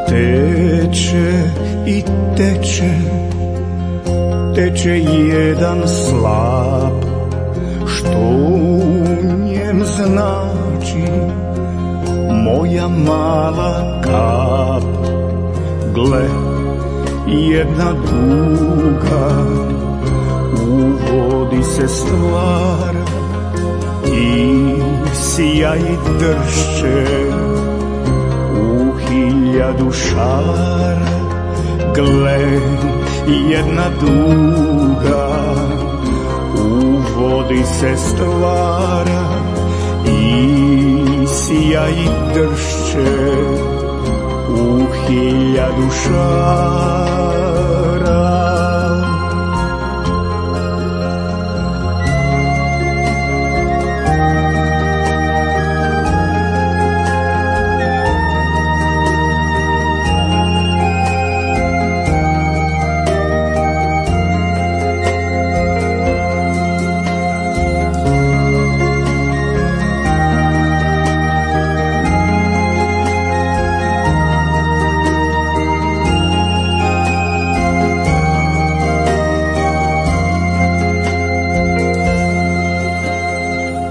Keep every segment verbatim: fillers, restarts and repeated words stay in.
Teče i teče, teče jedan slap, što u njem znači moja mala kap. Gle, jedna duga u vodi se stvara i sjaj dršće hiljadu šara. Gle, jedna duga u vodi se stvara i sjaj dršće u hiljadu šara.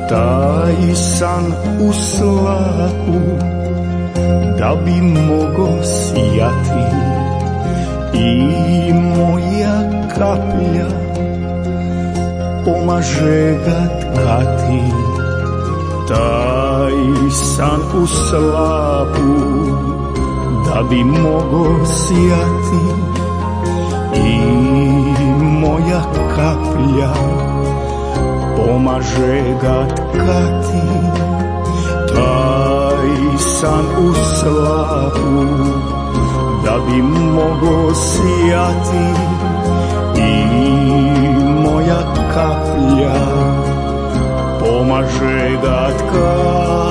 Taj san u slapu da bi mogo sijati i moja kaplja pomaže ga tkati. Taj san u slapu da bi mogo sijati i moja kaplja pomaže ga tkati. Taj san u slapu da bi mogo sijati i moja kaplja pomaže ga tkati.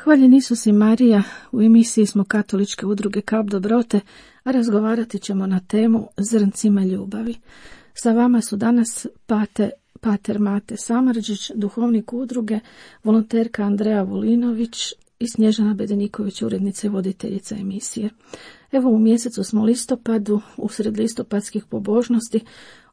Hvaljen Isus i Marija, u emisiji smo Katoličke udruge Kap dobrote, a razgovarati ćemo na temu zrncima ljubavi. Sa vama su danas pate, pater Mate Samardžić, duhovnik udruge, volonterka Andreja Volinović i Snježana Bedeniković, urednica i voditeljica emisije. Evo, u mjesecu smo listopadu, usred listopadskih pobožnosti,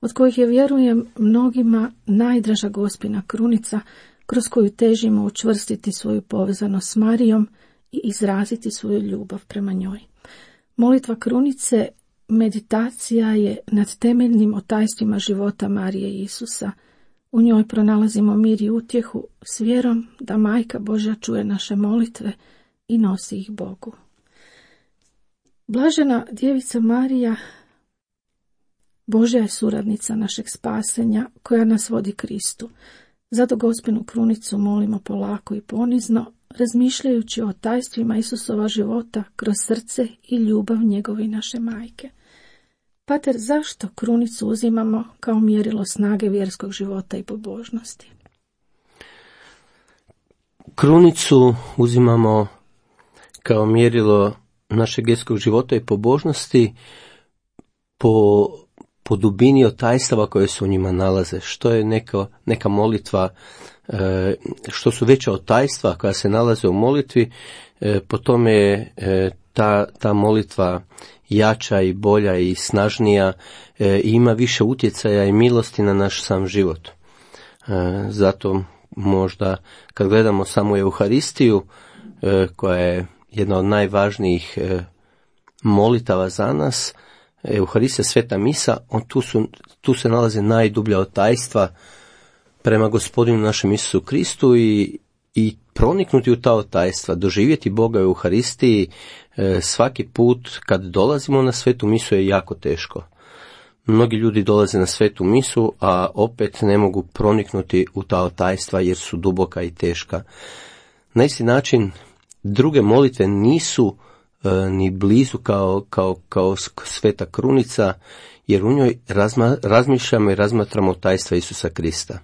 od kojih je, vjerujem, mnogima najdraža Gospina krunica, kroz koju težimo učvrstiti svoju povezanost s Marijom i izraziti svoju ljubav prema njoj. Molitva krunice meditacija je nad temeljnim otajstvima života Marije i Isusa. U njoj pronalazimo mir i utjehu s vjerom da Majka Božja čuje naše molitve i nosi ih Bogu. Blažena djevica Marija, Božja je suradnica našeg spasenja koja nas vodi Kristu. Zato Gospinu krunicu molimo polako i ponizno, razmišljajući o tajstvima Isusova života kroz srce i ljubav njegove i naše majke. Pater, zašto krunicu uzimamo kao mjerilo snage vjerskog života i pobožnosti? Krunicu uzimamo kao mjerilo našeg vjerskog života i pobožnosti po po dubini otajstava koje se u njima nalaze. Što je neka, neka molitva, što su veća otajstva koja se nalaze u molitvi, po tome je ta, ta molitva jača i bolja i snažnija e, i ima više utjecaja i milosti na naš sam život. E, zato možda kad gledamo samo Euharistiju, e, koja je jedna od najvažnijih e, molitava za nas, Euharistija, sveta misa, on, tu, su, tu se nalaze najdublja otajstva prema Gospodinu našem Isusu Kristu i, i proniknuti u ta otajstva, doživjeti Boga u Euharistiji e, svaki put kad dolazimo na svetu misu je jako teško. Mnogi ljudi dolaze na svetu misu, a opet ne mogu proniknuti u ta otajstva jer su duboka i teška. Na isti način druge molitve nisu e, ni blizu kao, kao, kao sveta krunica, jer u njoj razma, razmišljamo i razmatramo tajstva Isusa Krista,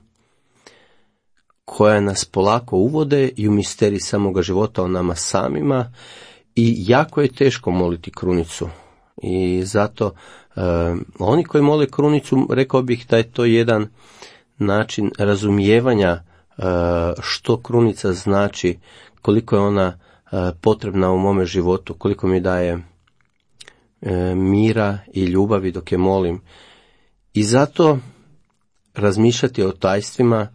koja nas polako uvode i u misterij samoga života o nama samima, i jako je teško moliti krunicu. I zato e, oni koji mole krunicu, rekao bih da je to jedan način razumijevanja e, što krunica znači, koliko je ona e, potrebna u mome životu, koliko mi daje e, mira i ljubavi dok je molim. I zato razmišljati o tajstvima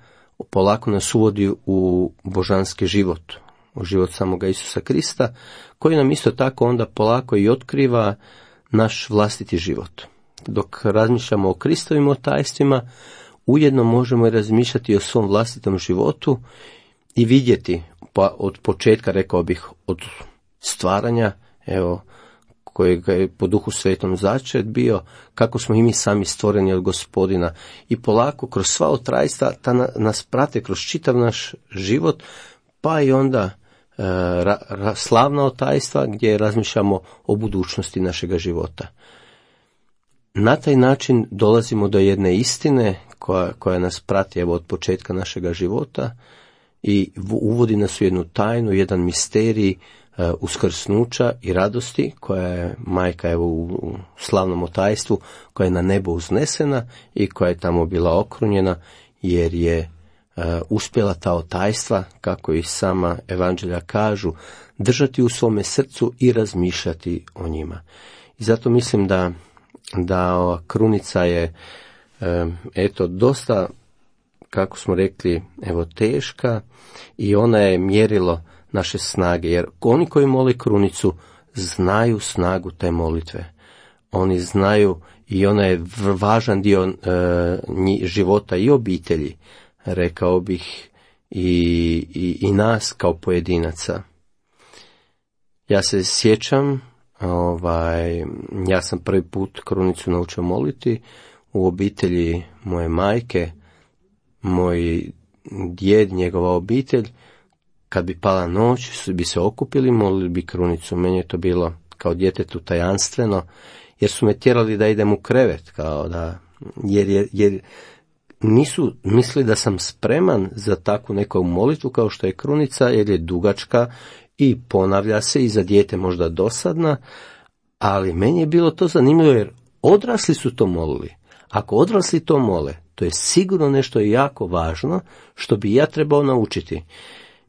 polako nas uvodi u božanski život, u život samoga Isusa Krista, koji nam isto tako onda polako i otkriva naš vlastiti život. Dok razmišljamo o Kristovim tajstvima, ujedno možemo i razmišljati o svom vlastitom životu i vidjeti, pa od početka, rekao bih, od stvaranja, evo, kojeg je po Duhu Svetom začet bio, kako smo i mi sami stvoreni od Gospodina, i polako kroz sva otrajstva ta nas prate kroz čitav naš život, pa i onda e, ra, ra, slavna otajstva gdje razmišljamo o budućnosti našega života. Na taj način dolazimo do jedne istine koja, koja nas prati, evo, od početka našega života i uvodi nas u jednu tajnu, jedan misterij uskrsnuća i radosti, koja je majka, evo, u slavnom otajstvu, koja je na nebo uznesena i koja je tamo bila okrunjena, jer je uh, uspjela ta otajstva, kako i sama evanđelja kažu, držati u svome srcu i razmišljati o njima. I zato mislim da, da ova krunica je um, eto dosta, kako smo rekli, evo, teška, i ona je mjerilo naše snage, jer oni koji mole krunicu znaju snagu te molitve. Oni znaju, i ona je važan dio e, života i obitelji, rekao bih, i, i, i nas kao pojedinaca. Ja se sjećam, ovaj, ja sam prvi put krunicu naučio moliti u obitelji moje majke, moj djed, njegova obitelj. Kad bi pala noć, bi se okupili, molili bi krunicu. Meni je to bilo kao djetetu tajanstveno, jer su me tjerali da idem u krevet, kao da, jer, jer, jer nisu mislili da sam spreman za takvu neku molitvu kao što je krunica, jer je dugačka i ponavlja se i za dijete možda dosadna, ali meni je bilo to zanimljivo, jer odrasli su to molili. Ako odrasli to mole, to je sigurno nešto jako važno što bi ja trebao naučiti.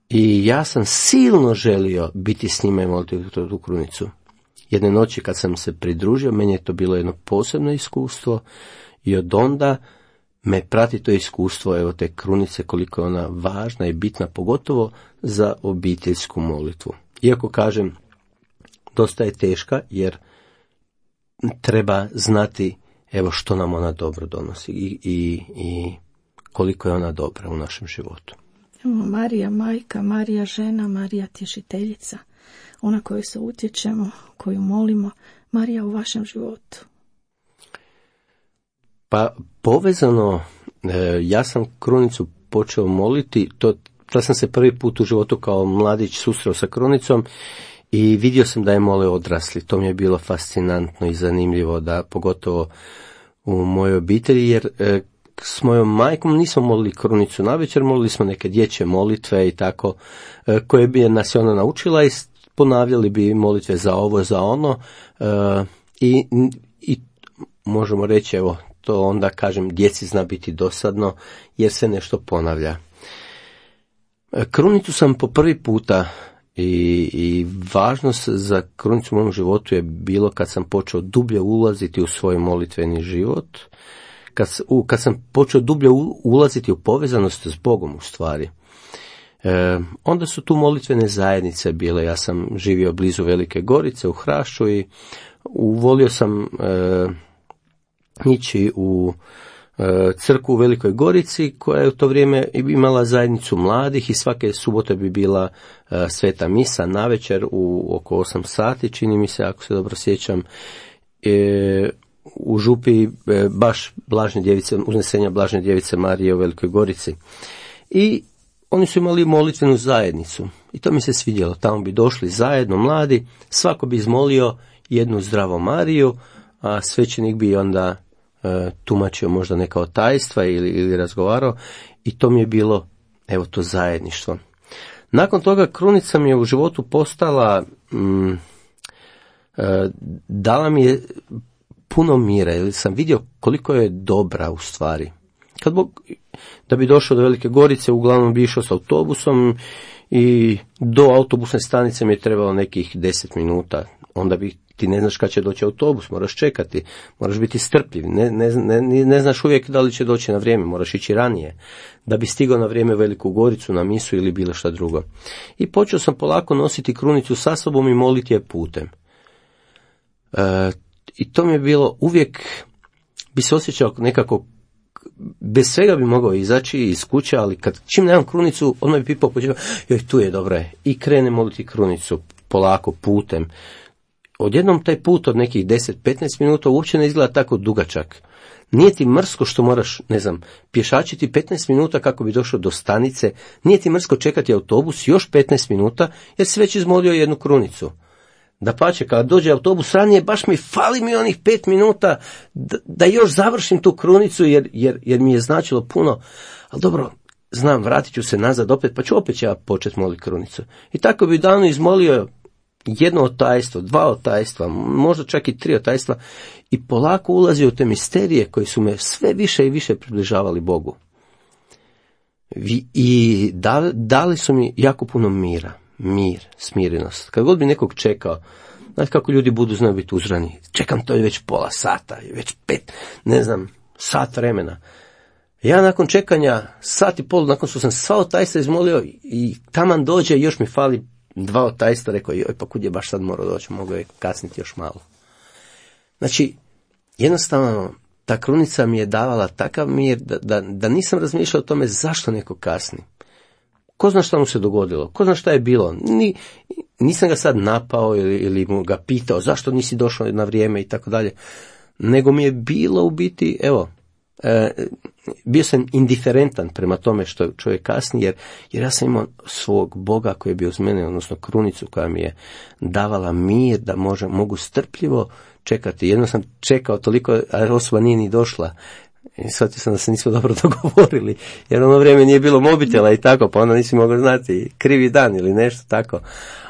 I ja sam silno želio biti s njima i moliti tu krunicu. Jedne noći kad sam se pridružio, meni je to bilo jedno posebno iskustvo, i od onda me prati to iskustvo, evo, te krunice, koliko je ona važna i bitna, pogotovo za obiteljsku molitvu. Iako, kažem, dosta je teška, jer treba znati, evo, što nam ona dobro donosi i, i, i koliko je ona dobra u našem životu. Marija majka, Marija žena, Marija tješiteljica, ona koju se utječemo, koju molimo. Marija u vašem životu? Pa povezano, ja sam krunicu počeo moliti, to, to sam se prvi put u životu kao mladić susreo sa krunicom i vidio sam da je mole odrasli. To mi je bilo fascinantno i zanimljivo, da pogotovo u mojoj obitelji, jer s mojom majkom nismo molili krunicu navečer, molili smo neke dječje molitve i tako, koje bi nas ona naučila, i ponavljali bi molitve za ovo, za ono, i, i možemo reći, evo, to onda, kažem, djeci zna biti dosadno, jer se nešto ponavlja. Krunicu sam po prvi puta I, i važnost za krunicu u mom životu je bilo kad sam počeo dublje ulaziti u svoj molitveni život, kad, u, kad sam počeo dublje ulaziti u povezanost s Bogom u stvari. E, onda su tu molitvene zajednice bile. Ja sam živio blizu Velike Gorice u Hrašću i uvolio sam e, ići u e, crkvu u Velikoj Gorici koja je u to vrijeme imala zajednicu mladih i svake subote bi bila e, sveta misa navečer u oko osam sati, čini mi se, ako se dobro sjećam, e, u župi e, baš Blažne djevice, uznesenja Blažne djevice Marije u Velikoj Gorici. I oni su imali molitvenu zajednicu i to mi se svidjelo. Tamo bi došli zajedno mladi, svako bi izmolio jednu zdravu Mariju, a svećenik bi onda e, tumačio možda neka od tajstva ili, ili razgovarao i to mi je bilo, evo, to zajedništvo. Nakon toga krunica mi je u životu postala, mm, e, dala mi je puno mira, jer sam vidio koliko je dobra u stvari. Kad Bog, da bi došao do Velike Gorice, uglavnom bi išao s autobusom i do autobusne stanice mi je trebalo nekih deset minuta. Onda bi, ti ne znaš kad će doći autobus, moraš čekati, moraš biti strpljiv, ne, ne, ne, ne znaš uvijek da li će doći na vrijeme, moraš ići ranije, da bi stigao na vrijeme u Veliku Goricu, na misu ili bilo šta drugo. I počeo sam polako nositi krunicu sa sobom i moliti je putem. E, I to mi je bilo uvijek, bi se osjećao nekako, bez svega bi mogao izaći iz kuće, ali kad čim nemam krunicu, odmah bi pipao počeo, joj, tu je, dobro je, i krene moliti krunicu polako putem. Odjednom taj put od nekih deset do petnaest minuta uopće ne izgleda tako dugačak. Nije ti mrsko što moraš, ne znam, pješačiti petnaest minuta kako bi došao do stanice, nije ti mrsko čekati autobus još petnaest minuta, jer si već izmolio jednu krunicu. Dapače, kada dođe autobus ranije, baš mi fali mi onih pet minuta da, da još završim tu krunicu, jer, jer, jer mi je značilo puno, ali dobro, znam, vratit ću se nazad opet, pa ću opet ja početi moliti krunicu. I tako bi davno izmolio jedno otajstvo, dva otajstva, možda čak i tri otajstva i polako ulazio u te misterije koji su me sve više i više približavali Bogu. I dali, dali su mi jako puno mira. Mir, smirenost. Kad god bi nekog čekao, znate kako ljudi budu znaju biti uzrani, čekam to je već pola sata, već pet, ne znam, sat vremena. Ja nakon čekanja, sat i pol, nakon što sam sva otajstva izmolio i taman dođe, još mi fali dva otajstva, rekao, joj, pa kud je baš sad morao doći, mogao je kasniti još malo. Znači, jednostavno, ta krunica mi je davala takav mir da, da, da nisam razmišljao o tome zašto neko kasni. Ko zna šta mu se dogodilo, ko zna šta je bilo, Ni, nisam ga sad napao ili, ili mu ga pitao zašto nisi došao na vrijeme i tako dalje, nego mi je bilo u biti, evo, e, bio sam indiferentan prema tome što čovjek kasni, jer, jer ja sam imao svog Boga koji je bio uz mene, odnosno krunicu koja mi je davala mir da može, mogu strpljivo čekati. Jedno sam čekao toliko, a osoba nije ni došla. I shvatio sam da se nismo dobro dogovorili, jer ono vrijeme nije bilo mobitela i tako, pa onda nisi mogao znati krivi dan ili nešto tako.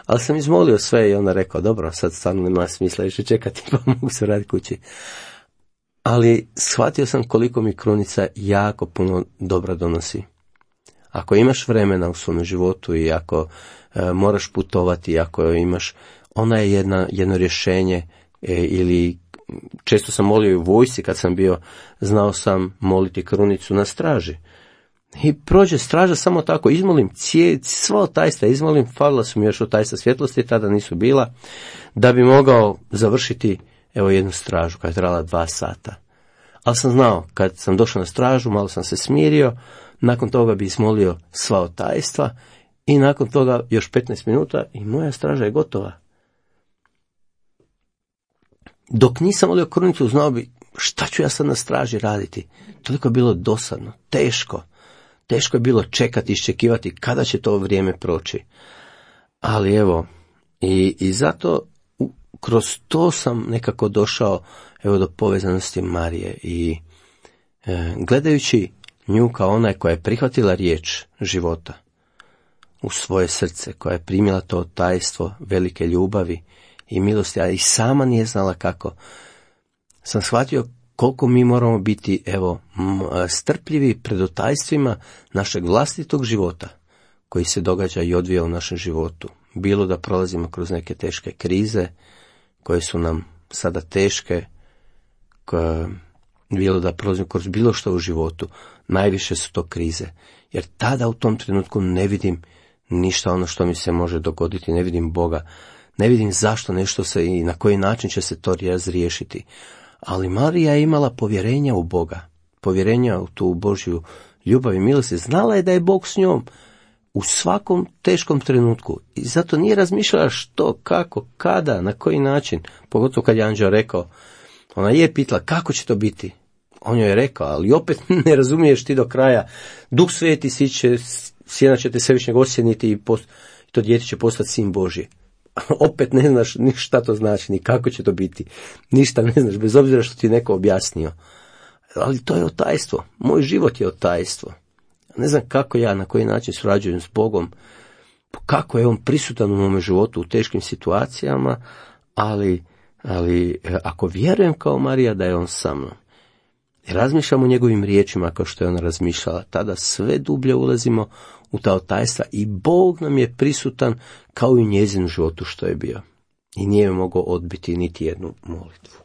Ali sam izmolio sve i onda rekao, dobro, sad stvarno nema smisla više čekati, pa mogu se raditi kući. Ali shvatio sam koliko mi krunica jako puno dobra donosi. Ako imaš vremena u svom životu i ako e, moraš putovati, ako imaš, ona je jedna, jedno rješenje e, ili često sam molio i u vojsci kad sam bio, znao sam moliti krunicu na straži. I prođe straža samo tako, izmolim cije, sva otajstva, izmolim, falila su mi još otajstva svjetlosti, tada nisu bila, da bi mogao završiti, evo, jednu stražu koja je trajala dva sata. Ali sam znao, kad sam došao na stražu, malo sam se smirio, nakon toga bi izmolio sva otajstva i nakon toga još petnaest minuta i moja straža je gotova. Dok nisam molio krunicu, znao bi šta ću ja sad na straži raditi. Toliko je bilo dosadno, teško. Teško je bilo čekati, iščekivati kada će to vrijeme proći. Ali evo, i, i zato u, kroz to sam nekako došao, evo, do povezanosti Marije. I e, gledajući nju kao onaj koja je prihvatila riječ života u svoje srce, koja je primila to tajstvo velike ljubavi i milosti, a i sama nije znala kako, sam shvatio koliko mi moramo biti, evo, strpljivi pred otajstvima našeg vlastitog života koji se događa i odvija u našem životu. bilo da prolazimo kroz neke teške krize, koje su nam sada teške, koje, bilo da prolazimo kroz bilo što u životu, najviše su to krize. Jer tada u tom trenutku ne vidim ništa ono što mi se može dogoditi, ne vidim Boga, ne vidim zašto nešto se i na koji način će se to razriješiti. Ali Marija je imala povjerenja u Boga, povjerenja u tu Božju ljubav i milost. Znala je da je Bog s njom u svakom teškom trenutku. I zato nije razmišljala što, kako, kada, na koji način. Pogotovo kad je anđeo rekao, ona je pitala kako će to biti. On joj je rekao, ali opet ne razumiješ ti do kraja. Duh Sveti siće, sjena će te svevišnjeg osjeniti i post, to dijete će postati sin Božji. Opet ne znaš ni šta to znači, ni kako će to biti. Ništa ne znaš, bez obzira što ti neko objasnio. Ali to je otajstvo. Moj život je otajstvo. Ne znam kako ja, na koji način surađujem s Bogom, kako je on prisutan u mome životu u teškim situacijama, ali, ali ako vjerujem kao Marija da je on sa mnom, i razmišljamo o njegovim riječima kao što je ona razmišljala, tada sve dublje ulazimo u ta otajstva i Bog nam je prisutan kao i u njezinu životu što je bio. I nije mogao odbiti niti jednu molitvu.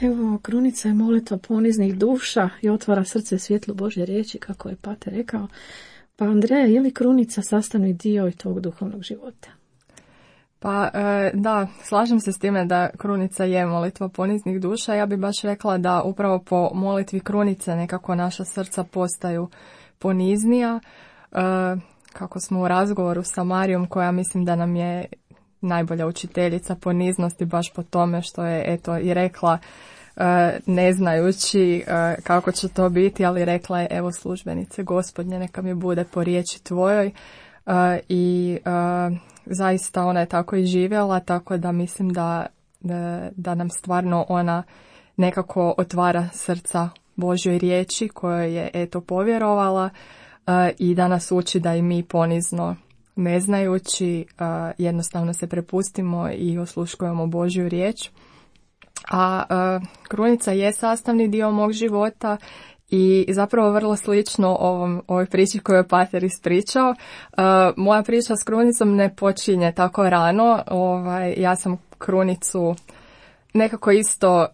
Evo, krunica je molitva poniznih duša i otvara srce svjetlu Božje riječi, kako je pater rekao. Pa Andreja, je li krunica sastavni dio i tog duhovnog života? Pa da, slažem se s time da krunica je molitva poniznih duša. Ja bih baš rekla da upravo po molitvi krunice nekako naša srca postaju poniznija. Kako smo u razgovoru sa Marijom, koja mislim da nam je najbolja učiteljica poniznosti baš po tome što je eto i rekla, ne znajući kako će to biti, ali rekla je, evo službenice Gospodnje, neka mi bude po riječi tvojoj. I zaista ona je tako i živjela, tako da mislim da, da, da nam stvarno ona nekako otvara srca Božjoj riječi kojoj je eto povjerovala i da nas uči da i mi ponizno, ne znajući, jednostavno se prepustimo i osluškujemo Božju riječ. A krunica je sastavni dio mog života i zapravo vrlo slično ovom, ovoj priči koju je pater ispričao. Uh, moja priča s krunicom ne počinje tako rano. Ovaj, ja sam krunicu nekako isto uh,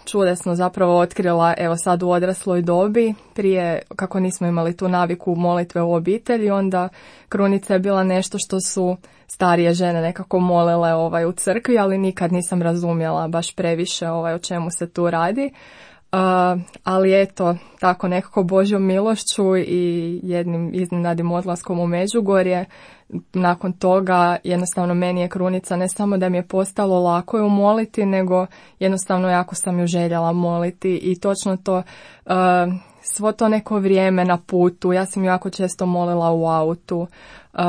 čudesno zapravo otkrila evo sad u odrasloj dobi. Prije, kako nismo imali tu naviku molitve u obitelji, onda krunica je bila nešto što su starije žene nekako molile ovaj, u crkvi, ali nikad nisam razumjela baš previše ovaj, o čemu se tu radi. Uh, ali eto, tako nekako Božjom milošću i jednim iznenadnim odlaskom u Međugorje, nakon toga jednostavno meni je krunica ne samo da mi je postalo lako ju moliti, nego jednostavno jako sam ju željela moliti i točno to, uh, svo to neko vrijeme na putu, ja sam ju jako često molila u autu, uh,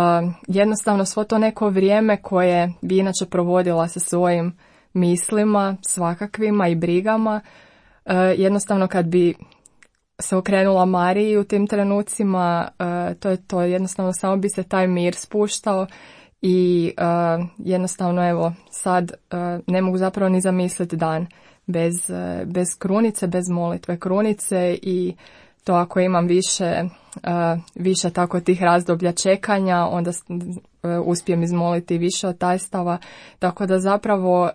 jednostavno svo to neko vrijeme koje bi inače provodila sa svojim mislima, svakakvima i brigama, Uh, jednostavno kad bi se okrenula Mariji u tim trenucima, uh, to je to, jednostavno samo bi se taj mir spuštao i uh, jednostavno evo sad uh, ne mogu zapravo ni zamisliti dan bez, uh, bez krunice, bez molitve krunice i to ako imam više, uh, više tako tih razdoblja čekanja, onda uh, uspijem izmoliti više od tajstava, tako da zapravo uh,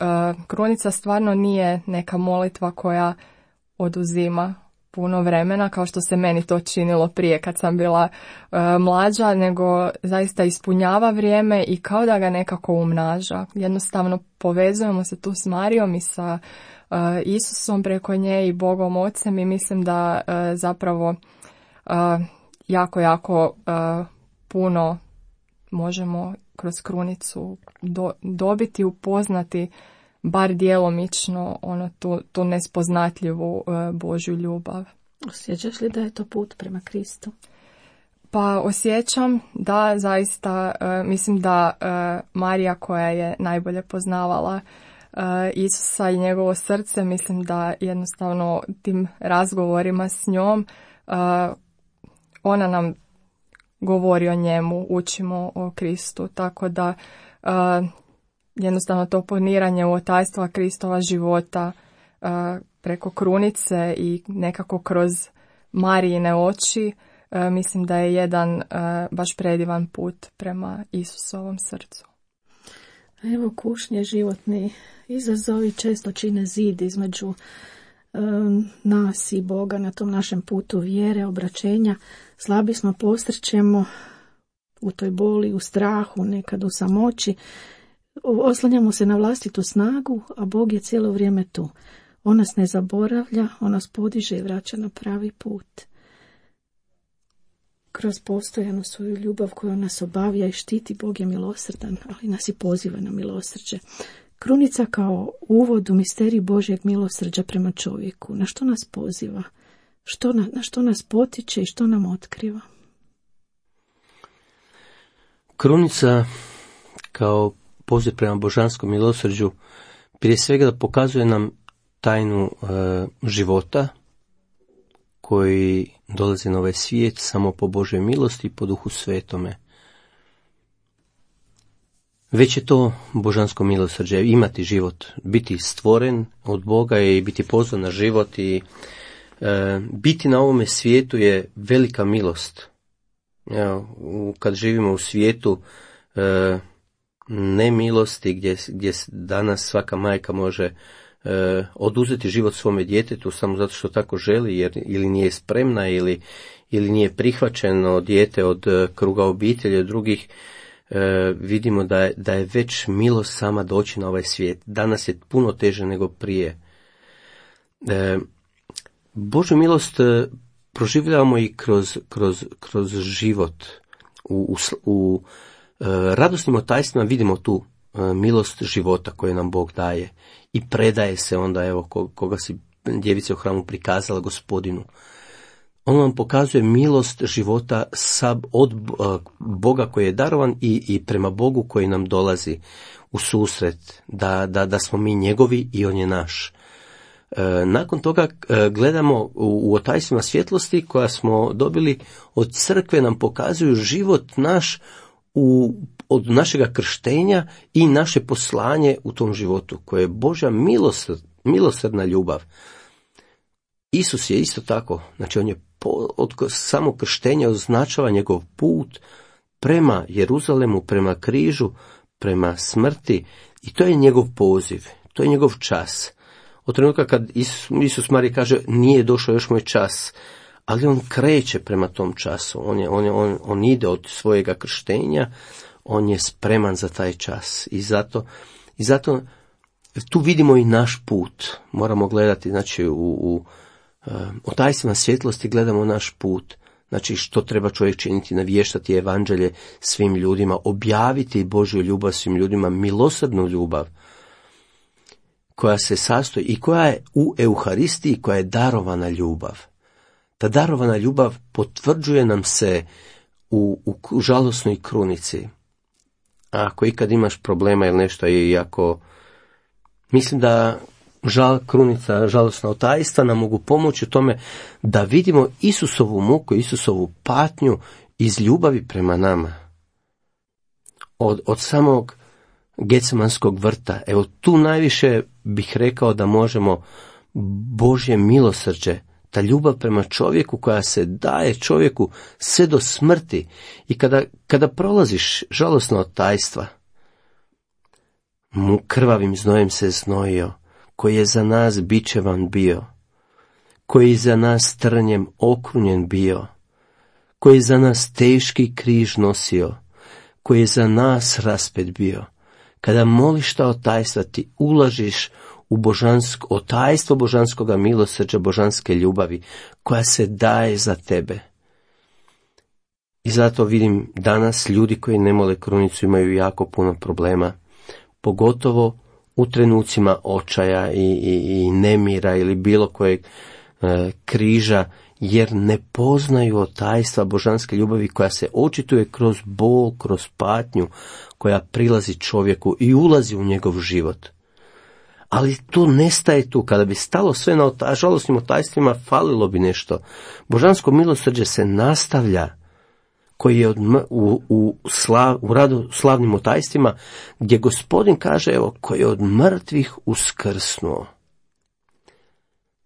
krunica stvarno nije neka molitva koja oduzima puno vremena, kao što se meni to činilo prije kad sam bila uh, mlađa, nego zaista ispunjava vrijeme i kao da ga nekako umnaža. Jednostavno povezujemo se tu s Marijom i sa uh, Isusom preko nje i Bogom Ocem i mislim da uh, zapravo uh, jako, jako uh, puno možemo kroz krunicu do, dobiti, upoznati bar djelomično ono, tu, tu nespoznatljivu uh, Božju ljubav. Osjećaš li da je to put prema Kristu? Pa osjećam da zaista, uh, mislim da uh, Marija koja je najbolje poznavala uh, Isusa i njegovo srce, mislim da jednostavno tim razgovorima s njom uh, ona nam govori o njemu, učimo o Kristu, tako da uh, jednostavno to poniranje u otajstva Kristova života uh, preko krunice i nekako kroz Marijine oči e, mislim da je jedan e, baš predivan put prema Isusovom srcu. Evo, kušnje, životni izazovi često čine zid između um, nas i Boga na tom našem putu vjere, obraćenja. Slabi smo, posrćemo u toj boli, u strahu, nekad u samoći. Oslanjamo se na vlastitu snagu, a Bog je cijelo vrijeme tu. On nas ne zaboravlja, on nas podiže i vraća na pravi put. Kroz postojanu svoju ljubav koju nas obavija i štiti, Bog je milosrdan, ali nas i poziva na milosrđe. Krunica kao uvod u misterij Božjeg milosrđa prema čovjeku. Na što nas poziva? Što na, na što nas potiče i što nam otkriva? Krunica kao poziv prema božanskom milosrđu prije svega da pokazuje nam tajnu e, života koji dolazi na ovaj svijet samo po Božoj milosti i po Duhu Svetome. Već je to božansko milosrđe, imati život, biti stvoren od Boga i biti pozvan na život i e, biti na ovome svijetu je velika milost. Evo, kad živimo u svijetu e, nemilosti gdje, gdje danas svaka majka može e, oduzeti život svome djetetu samo zato što tako želi, jer ili nije spremna ili, ili nije prihvaćeno dijete od kruga obitelji, od drugih, e, vidimo da je, da je već milost sama doći na ovaj svijet. Danas je puno teže nego prije. E, Božju milost e, proživljavamo i kroz, kroz, kroz život. U, u, u e, radosnim otajstvima vidimo tu e, milost života koju nam Bog daje i predaje se onda, evo, ko, koga si djevica u hramu prikazala Gospodinu. On nam pokazuje milost života sa, od Boga koji je darovan i, i prema Bogu koji nam dolazi u susret, da, da, da smo mi njegovi i on je naš. E, nakon toga e, gledamo u, u otajstvima svjetlosti koja smo dobili od crkve, nam pokazuju život naš u, od našega krštenja i naše poslanje u tom životu, koje je Božja milosrd, milosrdna ljubav. Isus je isto tako, znači on je po, od samog krštenja označava njegov put prema Jeruzalemu, prema križu, prema smrti i to je njegov poziv, to je njegov čas. Od trenutka kad Isus, Isus Marija kaže nije došao još moj čas, ali on kreće prema tom času, on, je, on, je, on, on ide od svojega krštenja, on je spreman za taj čas i zato, i zato tu vidimo i naš put, moramo gledati, znači u, u u tajstvima svjetlosti gledamo naš put, znači što treba čovjek činiti, navještati evanđelje svim ljudima, objaviti Božju ljubav svim ljudima, milosrdnu ljubav koja se sastoji i koja je u Euharistiji, koja je darovana ljubav. Ta darovana ljubav potvrđuje nam se u, u žalosnoj krunici. A ako ikad imaš problema ili nešto, i ako mislim da žal, krunica, žalosna otajstva nam mogu pomoći u tome da vidimo Isusovu muku, Isusovu patnju iz ljubavi prema nama. Od, od samog Getsemanskog vrta, evo tu najviše bih rekao da možemo Božje milosrđe, ta ljubav prema čovjeku koja se daje čovjeku sve do smrti i kada, kada prolaziš žalosna otajstva, mu krvavim znojem se znojio, koji je za nas bičevan bio, koji je za nas trnjem okrunjen bio, koji je za nas teški križ nosio, koji je za nas raspet bio. Kada moliš ta otajstva, ti ulažiš u božansko, otajstvo božanskoga milosrđa, božanske ljubavi, koja se daje za tebe. I zato vidim danas ljudi koji ne mole krunicu imaju jako puno problema, pogotovo u trenucima očaja i, i, i nemira ili bilo kojeg e, križa, jer ne poznaju otajstva božanske ljubavi koja se očituje kroz bol, kroz patnju, koja prilazi čovjeku i ulazi u njegov život. Ali to nestaje tu. Kada bi stalo sve na ota, žalosnim otajstvima, falilo bi nešto. Božansko milosrđe se nastavlja, koji je od, u, u, slav, u radu slavnim otajstvima, gdje Gospodin kaže, evo, koji je od mrtvih uskrsnuo.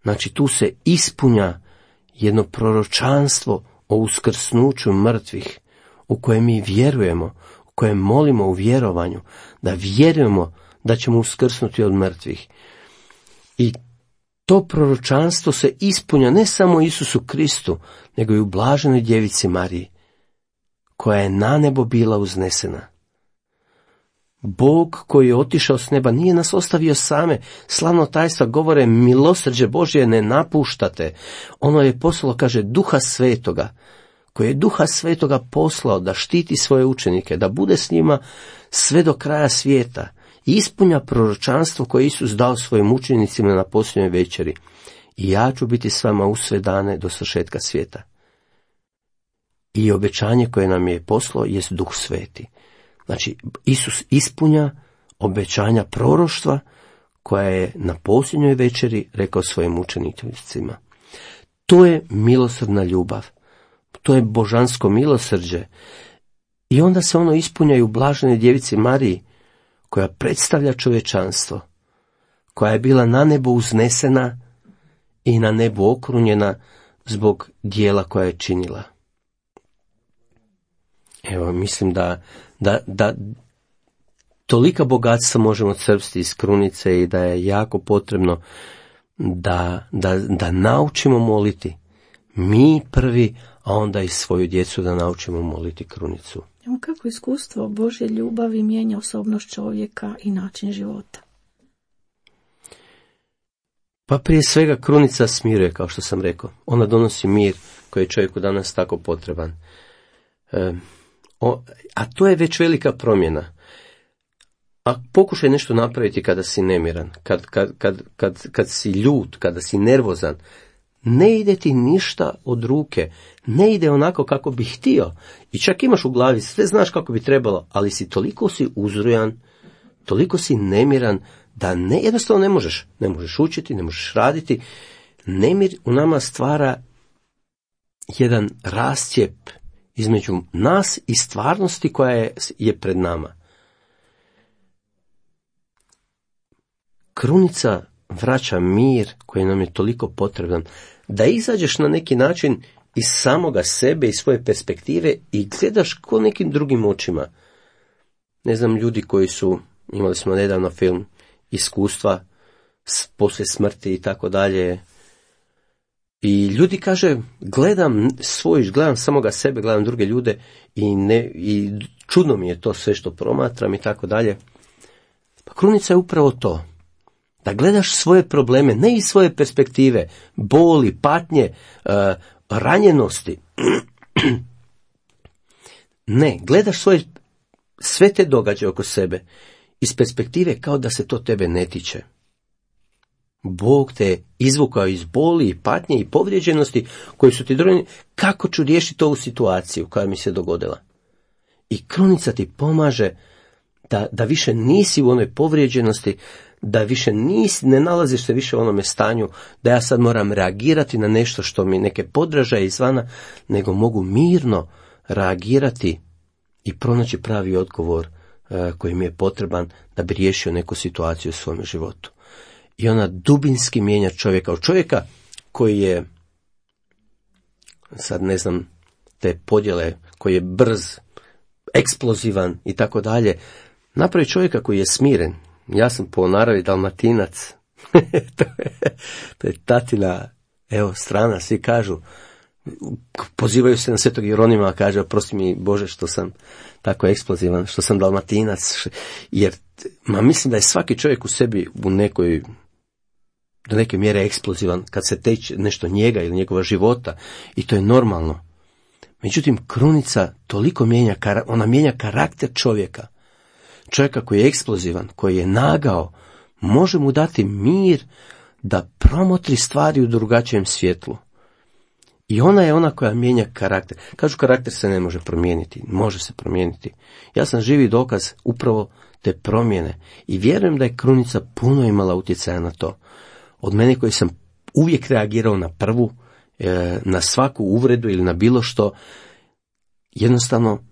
Znači tu se ispunja jedno proročanstvo o uskrsnuću mrtvih, u koje mi vjerujemo, u koje molimo u vjerovanju, da vjerujemo da ćemo uskrsnuti od mrtvih. I to proročanstvo se ispunja ne samo Isusu Kristu, nego i u blaženoj djevici Mariji, koja je na nebo bila uznesena. Bog koji je otišao s neba nije nas ostavio same. Slavno tajstva govore, milosrđe Božje ne napuštate. Ono je poslalo, kaže, Duha Svetoga, koji je Duha Svetoga poslao da štiti svoje učenike, da bude s njima sve do kraja svijeta i ispunja proročanstvo koje Isus dao svojim učenicima na posljednjoj večeri. I ja ću biti s vama u sve dane do svršetka svijeta. I obećanje koje nam je poslao jest Duh Sveti. Znači, Isus ispunja obećanja proroštva koja je na posljednjoj večeri rekao svojim učenicima. To je milosrdna ljubav. To je božansko milosrđe. I onda se ono ispunja i u blaženoj djevici Mariji, koja predstavlja čovječanstvo, koja je bila na nebo uznesena i na nebu okrunjena zbog dijela koja je činila. Evo, mislim da, da, da tolika bogatstva možemo crpsti iz krunice i da je jako potrebno da, da, da naučimo moliti. Mi prvi, a onda i svoju djecu da naučimo moliti krunicu. Evo kako iskustvo Božje ljubavi mijenja osobnost čovjeka i način života. Pa prije svega krunica smiruje, kao što sam rekao. Ona donosi mir koji je čovjeku danas tako potreban. E, o, a to je već velika promjena. A pokušaj nešto napraviti kada si nemiran, kad, kad, kad, kad, kad si ljut, kada si nervozan. Ne ide ti ništa od ruke, ne ide onako kako bi htio. I čak imaš u glavi, sve znaš kako bi trebalo, ali si toliko si uzrujan, toliko si nemiran, da ne, jednostavno ne možeš. Ne možeš učiti, ne možeš raditi. Nemir u nama stvara jedan rascijep između nas i stvarnosti koja je, je pred nama. Krunica vraća mir koji nam je toliko potreban, da izađeš na neki način iz samoga sebe i svoje perspektive i gledaš ko nekim drugim očima. Ne znam, ljudi koji su, imali smo nedavno film, iskustva poslije smrti i tako dalje. I ljudi kaže, gledam svoj, gledam samoga sebe, gledam druge ljude i, ne, i čudno mi je to sve što promatram i tako dalje. Pa krunica je upravo to. Da gledaš svoje probleme, ne iz svoje perspektive, boli, patnje, uh, ranjenosti. Ne, gledaš svoje, sve te događaje oko sebe iz perspektive kao da se to tebe ne tiče. Bog te izvukao iz boli, patnje i povrijeđenosti koji su ti drugani. Kako ću riješiti ovu situaciju koja mi se dogodila? I krunica ti pomaže da, da više nisi u onoj povrijeđenosti, da više nisi, ne nalaziš se više u onome stanju da ja sad moram reagirati na nešto što mi neke podražaje izvana, nego mogu mirno reagirati i pronaći pravi odgovor uh, koji mi je potreban da bi riješio neku situaciju u svom životu. I ona dubinski mijenja čovjeka. Od čovjeka koji je, sad ne znam, te podjele, koji je brz, eksplozivan i tako dalje, napravi čovjeka koji je smiren. Ja sam po naravi Dalmatinac. to, je, to je tatina, evo, strana, svi kažu, pozivaju se na Svetog Jeronima, kaže, oprosti mi Bože što sam tako eksplozivan, što sam Dalmatinac, jer, ma mislim da je svaki čovjek u sebi u nekoj, do neke mjere eksplozivan, kad se teče nešto njega ili njegova života, i to je normalno. Međutim, krunica toliko mijenja, ona mijenja karakter čovjeka. Čovjeka koji je eksplozivan, koji je nagao, može mu dati mir da promotri stvari u drugačijem svjetlu. I ona je ona koja mijenja karakter. Kažu, karakter se ne može promijeniti. Može se promijeniti. Ja sam živi dokaz upravo te promjene. I vjerujem da je krunica puno imala utjecaja na to. Od mene koji sam uvijek reagirao na prvu, na svaku uvredu ili na bilo što, jednostavno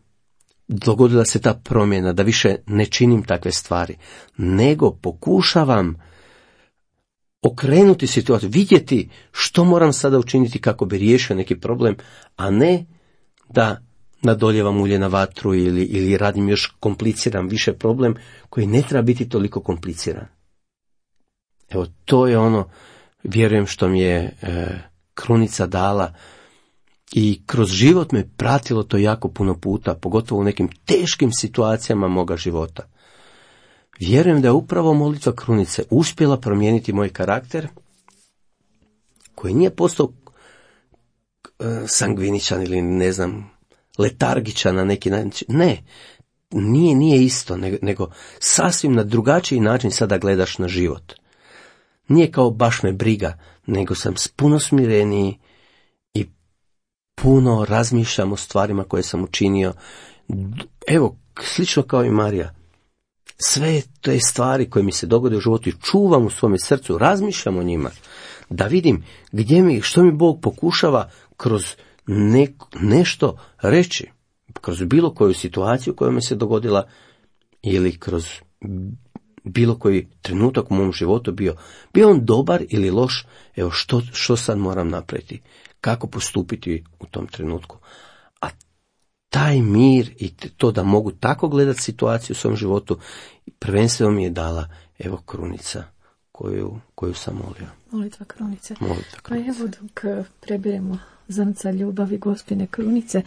dogodila se ta promjena da više ne činim takve stvari, nego pokušavam okrenuti situaciju, vidjeti što moram sada učiniti kako bi riješio neki problem, a ne da nadoljevam ulje na vatru ili, ili radim još kompliciran više problem koji ne treba biti toliko kompliciran. Evo, to je ono, vjerujem, što mi je e, krunica dala i kroz život me pratilo to jako puno puta, pogotovo u nekim teškim situacijama moga života. Vjerujem da je upravo molitva krunice uspjela promijeniti moj karakter, koji nije postao e, sangviničan ili ne znam, letargičan na neki način. Ne, nije, nije isto, nego, nego sasvim na drugačiji način sada gledaš na život. Nije kao baš me briga, nego sam puno smireniji i puno razmišljam o stvarima koje sam učinio. Evo, slično kao i Marija. Sve te stvari koje mi se dogode u životu i čuvam u svome srcu, razmišljam o njima, da vidim gdje mi, što mi Bog pokušava kroz ne, nešto reći, kroz bilo koju situaciju koja mi se dogodila ili kroz bilo koji trenutak u mom životu bio, bio on dobar ili loš, evo što, što sad moram napraviti, kako postupiti u tom trenutku. A taj mir i to da mogu tako gledati situaciju u svom životu, prvenstveno mi je dala, evo, krunica koju, koju sam molio. Molitva krunice. Molitva krunice. Pa evo, dok prebiremo zrnca ljubavi Gospine krunice,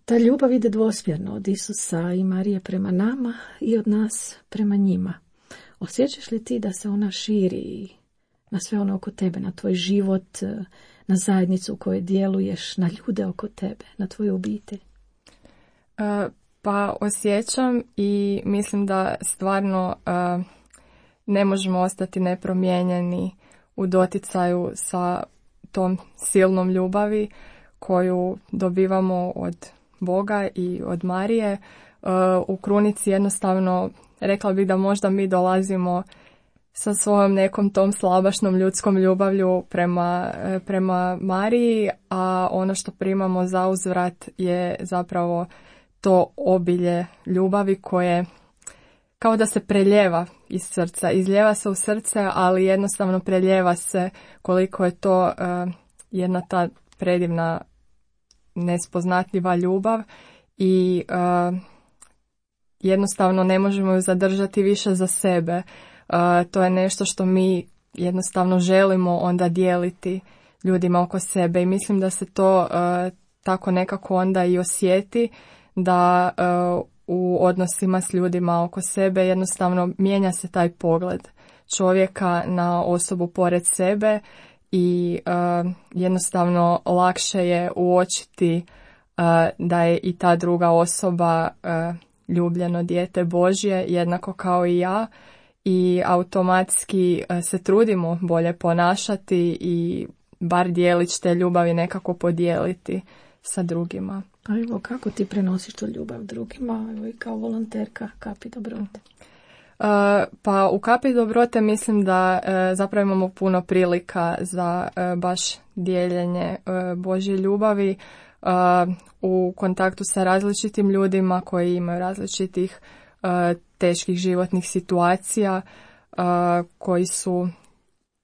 ta ljubav ide dvosmjerno od Isusa i Marije prema nama i od nas prema njima. Osjećaš li ti da se ona širi na sve ono oko tebe, na tvoj život, na zajednicu u kojoj djeluješ, na ljude oko tebe, na tvoju obitelj? Uh, pa osjećam i mislim da stvarno uh, ne možemo ostati nepromijenjeni u doticaju sa tom silnom ljubavi koju dobivamo od Boga i od Marije. Uh, u krunici jednostavno rekla bih da možda mi dolazimo sa svojom nekom tom slabašnom ljudskom ljubavlju prema, prema Mariji, a ono što primamo za uzvrat je zapravo to obilje ljubavi koje kao da se preljeva iz srca, izljeva se u srce, ali jednostavno preljeva se koliko je to uh, jedna ta predivna nespoznatljiva ljubav i uh, jednostavno ne možemo ju zadržati više za sebe. Uh, to je nešto što mi jednostavno želimo onda dijeliti ljudima oko sebe i mislim da se to uh, tako nekako onda i osjeti, da uh, u odnosima s ljudima oko sebe jednostavno mijenja se taj pogled čovjeka na osobu pored sebe i uh, jednostavno lakše je uočiti uh, da je i ta druga osoba uh, ljubljeno dijete Božje, jednako kao i ja, i automatski uh, se trudimo bolje ponašati i bar dijelić te ljubavi nekako podijeliti sa drugima. A evo, kako ti prenosiš tu ljubav drugima, evo i kao volonterka Kapi dobrote? Uh, pa u Kapi dobrote mislim da uh, zapravo imamo puno prilika za uh, baš dijeljenje uh, Božje ljubavi uh, u kontaktu sa različitim ljudima koji imaju različitih uh, teških životnih situacija, uh, koji su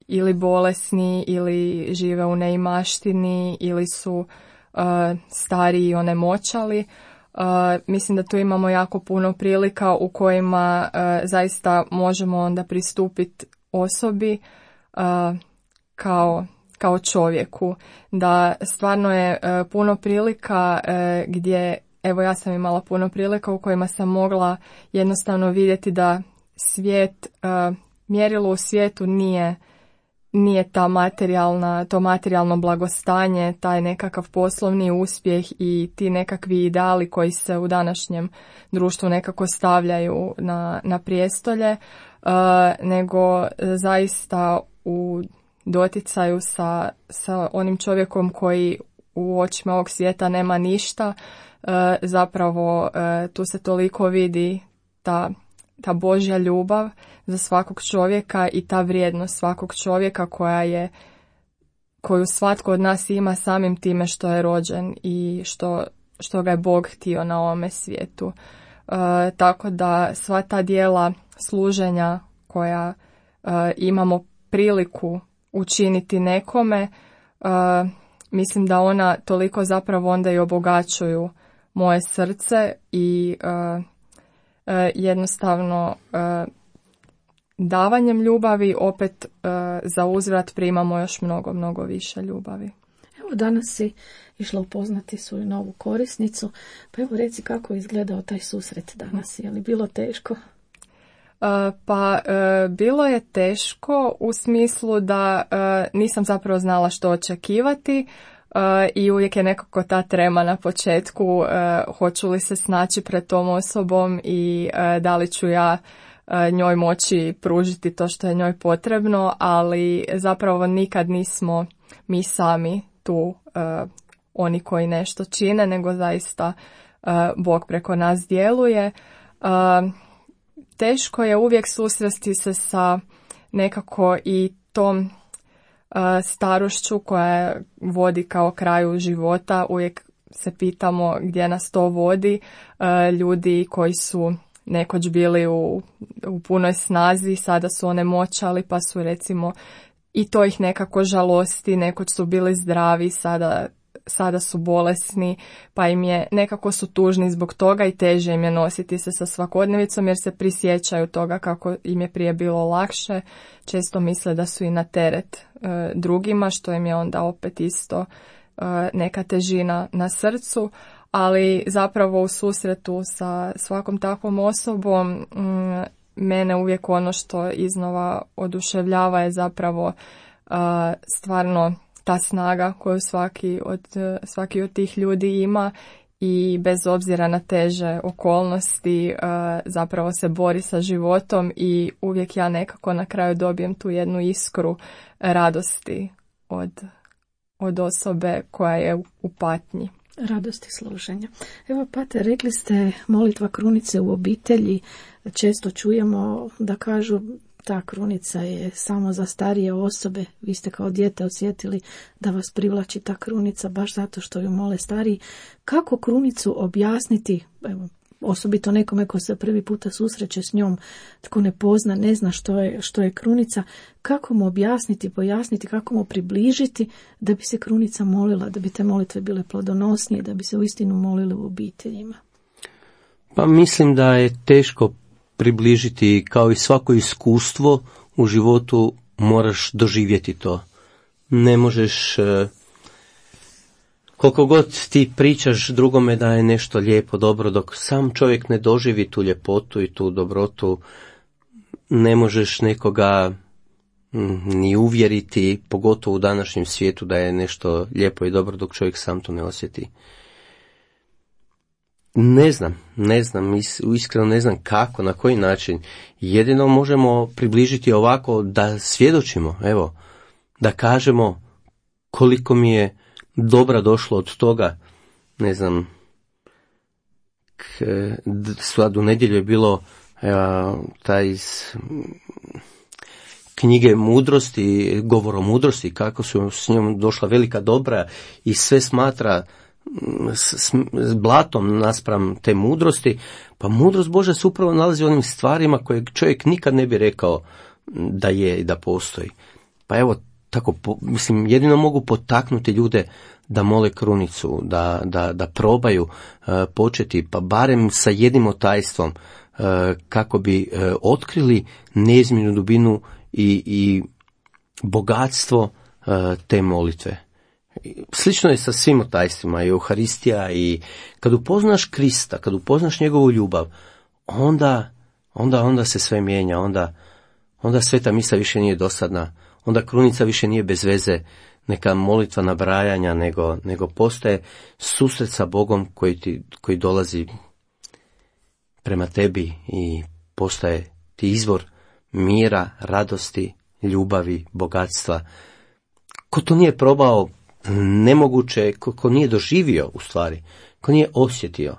ili bolesni ili žive u neimaštini ili su uh, stariji i onemoćali. Uh, mislim da tu imamo jako puno prilika u kojima uh, zaista možemo onda pristupiti osobi uh, kao, kao čovjeku. Da stvarno je uh, puno prilika uh, gdje, evo ja sam imala puno prilika u kojima sam mogla jednostavno vidjeti da svijet, uh, mjerilo u svijetu nije nije ta materijalna, to materijalno blagostanje, taj nekakav poslovni uspjeh i ti nekakvi ideali koji se u današnjem društvu nekako stavljaju na, na prijestolje, uh, nego zaista u doticaju sa, sa onim čovjekom koji u očima ovog svijeta nema ništa, uh, zapravo uh, tu se toliko vidi ta ta Božja ljubav za svakog čovjeka i ta vrijednost svakog čovjeka koja je, koju svatko od nas ima samim time što je rođen i što, što ga je Bog htio na ovome svijetu. E, tako da sva ta dijela služenja koja e, imamo priliku učiniti nekome, uh, mislim da ona toliko zapravo onda i obogaćuju moje srce i uh, uh, jednostavno uh, davanjem ljubavi opet uh, za uzvrat primamo još mnogo, mnogo više ljubavi. Evo danas si išla upoznati svoju novu korisnicu, pa evo reci kako je izgledao taj susret danas, je li bilo teško? Uh, pa uh, bilo je teško u smislu da uh, nisam zapravo znala što očekivati. Uh, i uvijek je nekako ta trema na početku, uh, hoću li se snaći pred tom osobom i uh, da li ću ja uh, njoj moći pružiti to što je njoj potrebno, ali zapravo nikad nismo mi sami tu uh, oni koji nešto čine, nego zaista uh, Bog preko nas djeluje. Uh, teško je uvijek susresti se sa nekako i tom starošću koja vodi kao kraju života. Uvijek se pitamo gdje nas to vodi. Ljudi koji su nekoć bili u, u punoj snazi, sada su onemoćali, pa su recimo i to ih nekako žalosti. Nekoć su bili zdravi, sada, sada su bolesni, pa im je nekako su tužni zbog toga i teže im je nositi se sa svakodnevicom jer se prisjećaju toga kako im je prije bilo lakše. Često misle da su i na teret e, drugima, što im je onda opet isto e, neka težina na srcu, ali zapravo u susretu sa svakom takvom osobom m, mene uvijek ono što iznova oduševljava je zapravo e, stvarno ta snaga koju svaki od, svaki od tih ljudi ima i bez obzira na teže okolnosti zapravo se bori sa životom i uvijek ja nekako na kraju dobijem tu jednu iskru radosti od, od osobe koja je u patnji. Radosti služenja. Evo, Pater, rekli ste molitva krunice u obitelji. Često čujemo da kažu ta krunica je samo za starije osobe. Vi ste kao dijete osjetili da vas privlači ta krunica baš zato što ju mole stariji. Kako krunicu objasniti, evo, osobito nekome ko se prvi puta susreće s njom, tko ne pozna, ne zna što je, što je krunica, kako mu objasniti, pojasniti, kako mu približiti da bi se krunica molila, da bi te molitve bile plodonosnije, da bi se uistinu molili u obiteljima? Pa mislim da je teško približiti, kao i svako iskustvo u životu moraš doživjeti to. Ne možeš, koliko god ti pričaš drugome da je nešto lijepo, dobro, dok sam čovjek ne doživi tu ljepotu i tu dobrotu, ne možeš nekoga ni uvjeriti, pogotovo u današnjem svijetu da je nešto lijepo i dobro dok čovjek sam to ne osjeti. Ne znam, ne znam, iskreno ne znam kako, na koji način. Jedino možemo približiti ovako da svjedočimo, evo, da kažemo koliko mi je dobra došlo od toga, ne znam, k, sad u nedjelju je bilo evo, taj iz knjige mudrosti, govor o mudrosti, kako su s njom došla velika dobra i sve smatra S, s, s blatom naspram te mudrosti, pa mudrost Božja se upravo nalazi u onim stvarima koje čovjek nikad ne bi rekao da je i da postoji. Pa evo, tako, po, mislim, jedino mogu potaknuti ljude da mole krunicu, da, da, da probaju uh, početi, pa barem sa jednim otajstvom, uh, kako bi uh, otkrili neizmjernu dubinu i, i bogatstvo uh, te molitve. Slično je sa svim otajstvima, i Euharistija, i kad upoznaš Krista, kad upoznaš njegovu ljubav, onda, onda, onda se sve mijenja, onda, onda sveta misa više nije dosadna, onda krunica više nije bez veze, neka molitva nabrajanja, nego, nego postaje susret sa Bogom koji, ti, koji dolazi prema tebi i postaje ti izvor mira, radosti, ljubavi, bogatstva. Ko to nije probao, nemoguće, ko, ko nije doživio u stvari, ko nije osjetio,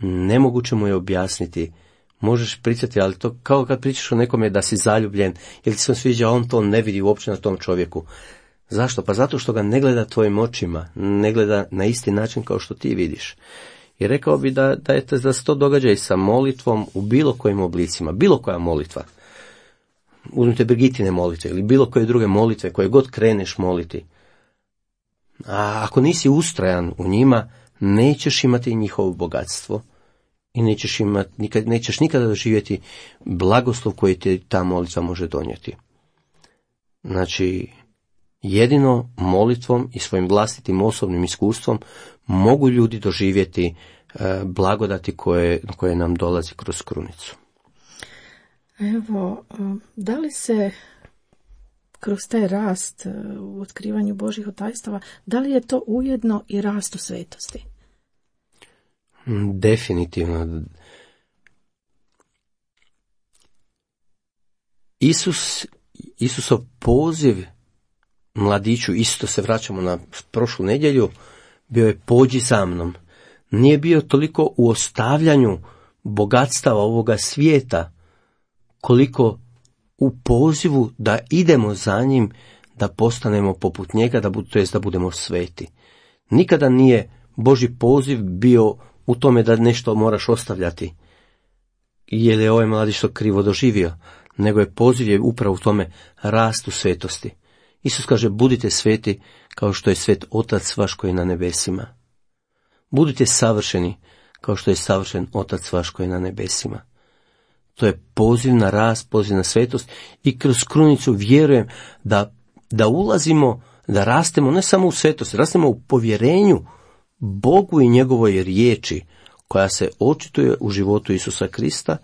nemoguće mu je objasniti. Možeš pričati, ali to kao kad pričaš o nekome da si zaljubljen, ili ti se sviđa, on to ne vidi uopće na tom čovjeku. Zašto? Pa zato što ga ne gleda tvojim očima, ne gleda na isti način kao što ti vidiš. I rekao bi da, da, je, da se to događa i sa molitvom u bilo kojim oblicima, bilo koja molitva. uzmite Brigitine molitve ili bilo koje druge molitve koje god kreneš moliti. A ako nisi ustrajan u njima, nećeš imati njihovo bogatstvo i nećeš, imati, nikad, nećeš nikada doživjeti blagoslov koji ti ta molitva može donijeti. Znači, jedino molitvom i svojim vlastitim osobnim iskustvom mogu ljudi doživjeti e, blagodati koje, koje nam dolazi kroz krunicu. Evo, da li se kroz taj rast u otkrivanju Božjih tajstava, da li je to ujedno i rast u svetosti? Definitivno. Isus, Isusov poziv mladiću, isto se vraćamo na prošlu nedjelju, bio je pođi za mnom. Nije bio toliko u ostavljanju bogatstava ovoga svijeta, koliko u pozivu da idemo za njim, da postanemo poput njega, da, to jest da budemo sveti. Nikada nije Božji poziv bio u tome da nešto moraš ostavljati, jer je ovaj mladić to krivo doživio, nego je poziv je upravo u tome rast u svetosti. Isus kaže, budite sveti kao što je svet Otac vaš koji je na nebesima. Budite savršeni kao što je savršen Otac vaš koji je na nebesima. To je poziv na rast, poziv na svetost i kroz krunicu vjerujem da, da ulazimo, da rastemo ne samo u svetosti, rastemo u povjerenju Bogu i njegovoj riječi koja se očituje u životu Isusa Krista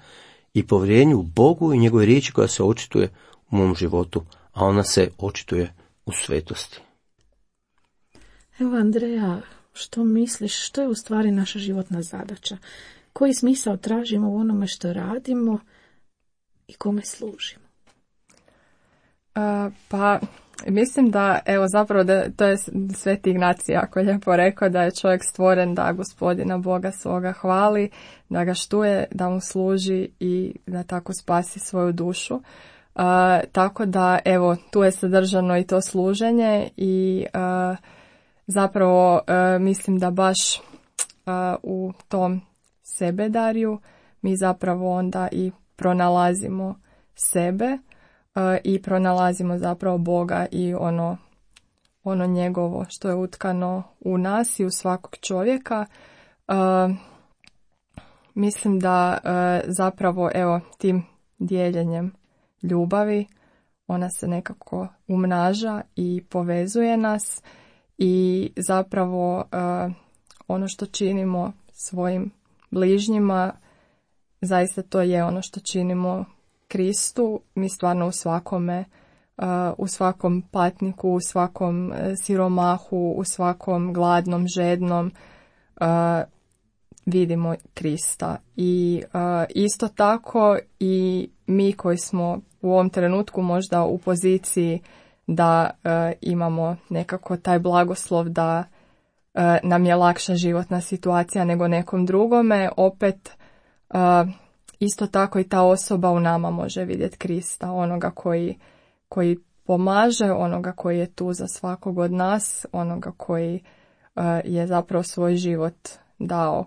i povjerenju Bogu i njegovoj riječi koja se očituje u mom životu, a ona se očituje u svetosti. Evo Andreja, što misliš, što je u stvari naša životna zadaća? Koji smisao tražimo u onome što radimo i kome služimo? Uh, pa mislim da, evo zapravo da to je Sveti Ignacij jako lijepo rekao da je čovjek stvoren da Gospodina Boga svoga hvali, da ga štuje, da mu služi i da tako spasi svoju dušu. Uh, tako da evo tu je sadržano i to služenje i uh, zapravo uh, mislim da baš uh, u tom sebedarju mi zapravo onda i pronalazimo sebe uh, i pronalazimo zapravo Boga i ono, ono njegovo što je utkano u nas i u svakog čovjeka. Uh, mislim da uh, zapravo evo tim dijeljenjem ljubavi ona se nekako umnaža i povezuje nas i zapravo uh, ono što činimo svojim bližnjima, zaista to je ono što činimo Kristu. Mi stvarno u svakome, uh, u svakom patniku, u svakom uh, siromahu, u svakom gladnom, žednom uh, vidimo Krista. I uh, isto tako i mi koji smo u ovom trenutku možda u poziciji da uh, imamo nekako taj blagoslov da uh, nam je lakša životna situacija nego nekom drugome, opet uh, isto tako i ta osoba u nama može vidjeti Krista, onoga koji, koji pomaže, onoga koji je tu za svakog od nas, onoga koji uh, je zapravo svoj život dao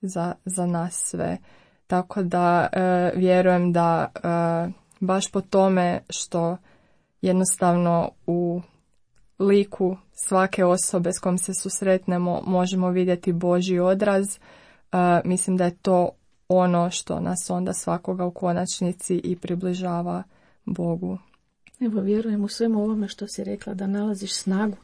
za, za nas sve. Tako da uh, vjerujem da uh, baš po tome što jednostavno u liku svake osobe s kojom se susretnemo možemo vidjeti Božji odraz. Uh, mislim da je to ono što nas onda svakoga u konačnici i približava Bogu. Evo, vjerujem u svemu ovome što si rekla, da nalaziš snagu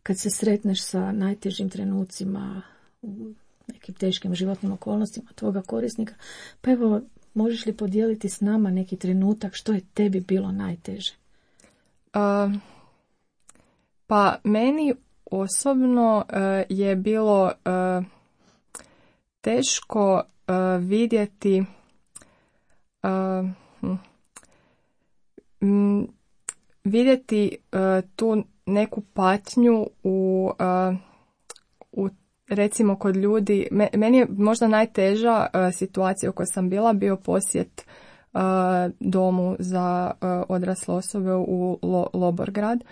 kad se sretneš sa najtežim trenucima u nekim teškim životnim okolnostima tvoga korisnika. Pa evo, možeš li podijeliti s nama neki trenutak što je tebi bilo najteže? Uh, pa meni osobno uh, je bilo uh, teško uh, vidjeti uh, hm, vidjeti uh, tu neku patnju u, uh, u recimo kod ljudi. Meni je možda najteža uh, situacija u kojoj sam bila bio posjet uh, domu za uh, odrasle osobe u Lo- Loborgrad,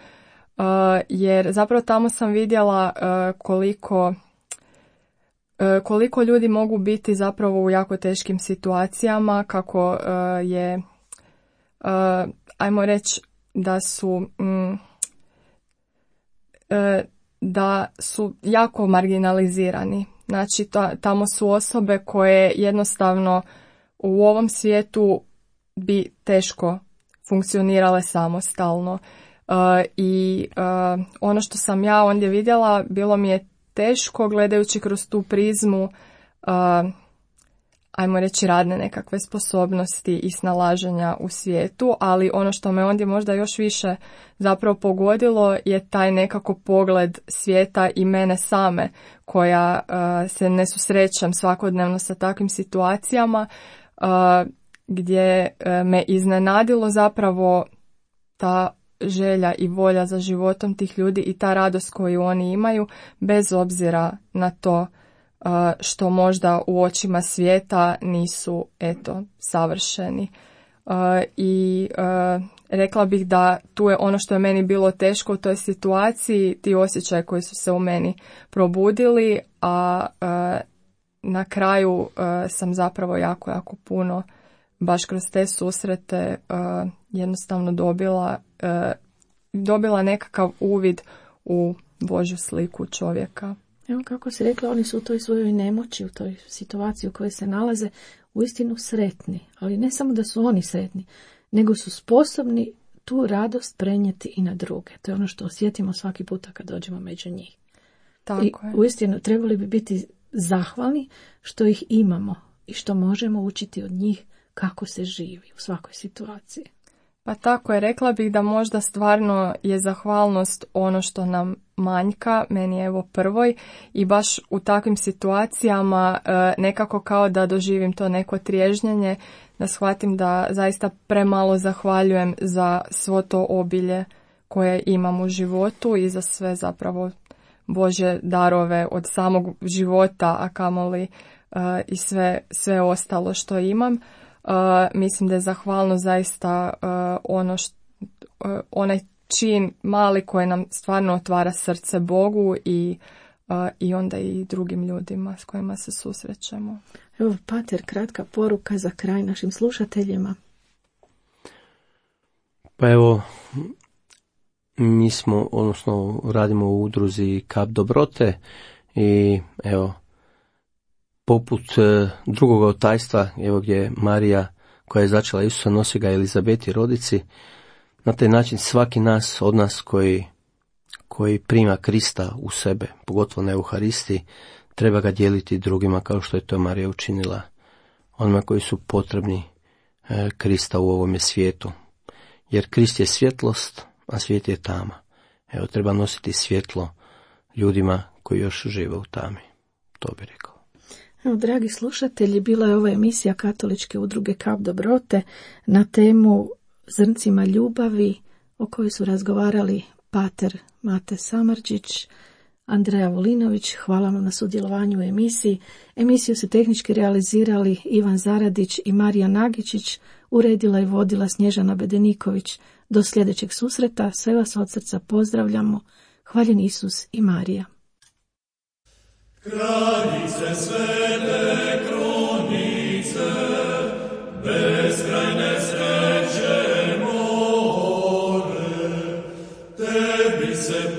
uh, jer zapravo tamo sam vidjela uh, koliko uh, koliko ljudi mogu biti zapravo u jako teškim situacijama, kako uh, je uh, ajmo reći da su mm, uh, da su jako marginalizirani. Znači ta, tamo su osobe koje jednostavno u ovom svijetu bi teško funkcionirale samostalno. Uh, I uh, ono što sam ja ondje vidjela, bilo mi je teško gledajući kroz tu prizmu, uh, ajmo reći, radne nekakve sposobnosti i snalaženja u svijetu, ali ono što me ondje možda još više zapravo pogodilo je taj nekako pogled svijeta i mene same, koja uh, se ne susrećem svakodnevno sa takvim situacijama, uh, gdje uh, me iznenadilo zapravo ta želja i volja za životom tih ljudi i ta radost koju oni imaju, bez obzira na to uh, što možda u očima svijeta nisu, eto, savršeni. Uh, I uh, rekla bih da tu je ono što je meni bilo teško u toj situaciji, ti osjećaji koji su se u meni probudili, a uh, na kraju uh, sam zapravo jako, jako puno baš kroz te susrete uh, jednostavno dobila, uh, dobila nekakav uvid u Božju sliku čovjeka. Evo kako si rekla, oni su u toj svojoj nemoći, u toj situaciji u kojoj se nalaze, uistinu sretni. Ali ne samo da su oni sretni, nego su sposobni tu radost prenijeti i na druge. To je ono što osjetimo svaki puta kad dođemo među njih. Tako I je. uistinu trebali bi biti zahvalni što ih imamo i što možemo učiti od njih kako se živi u svakoj situaciji. Pa tako je, rekla bih da možda stvarno je zahvalnost ono što nam manjka, meni je evo prvoj, i baš u takvim situacijama e, nekako kao da doživim to neko triježnjenje, da shvatim da zaista premalo zahvaljujem za svo to obilje koje imam u životu i za sve zapravo Božje darove od samog života, a kamoli e, i sve, sve ostalo što imam. Uh, mislim da je zahvalno zaista uh, ono št, uh, onaj čin mali koji nam stvarno otvara srce Bogu i, uh, i onda i drugim ljudima s kojima se susrećemo. Evo, pater, kratka poruka za kraj našim slušateljima. Pa evo, mi smo, odnosno radimo u udruzi Kap dobrote i evo, poput drugog otajstva, evo gdje je Marija koja je začela Isusa, nosi ga Elizabeti rodici, na taj način svaki nas, od nas koji, koji prima Krista u sebe, pogotovo na Euharisti, treba ga dijeliti drugima kao što je to Marija učinila, onima koji su potrebni e, Krista u ovome svijetu. Jer Krist je svjetlost, a svijet je tama. Evo, treba nositi svjetlo ljudima koji još žive u tami. To bi rekao. Evo, dragi slušatelji, bila je ova emisija Katoličke udruge Kap dobrote na temu Zrncima ljubavi, o kojoj su razgovarali pater Mate Samardžić, Andreja Volinović. Hvala vam na sudjelovanju u emisiji. Emisiju su tehnički realizirali Ivan Zaradić i Marija Nagičić, uredila i vodila Snježana Bedeniković. Do sljedećeg susreta, sve vas od srca pozdravljamo. Hvaljen Isus i Marija. Kraljice svete kronice, beskrajne sreće more, tebi se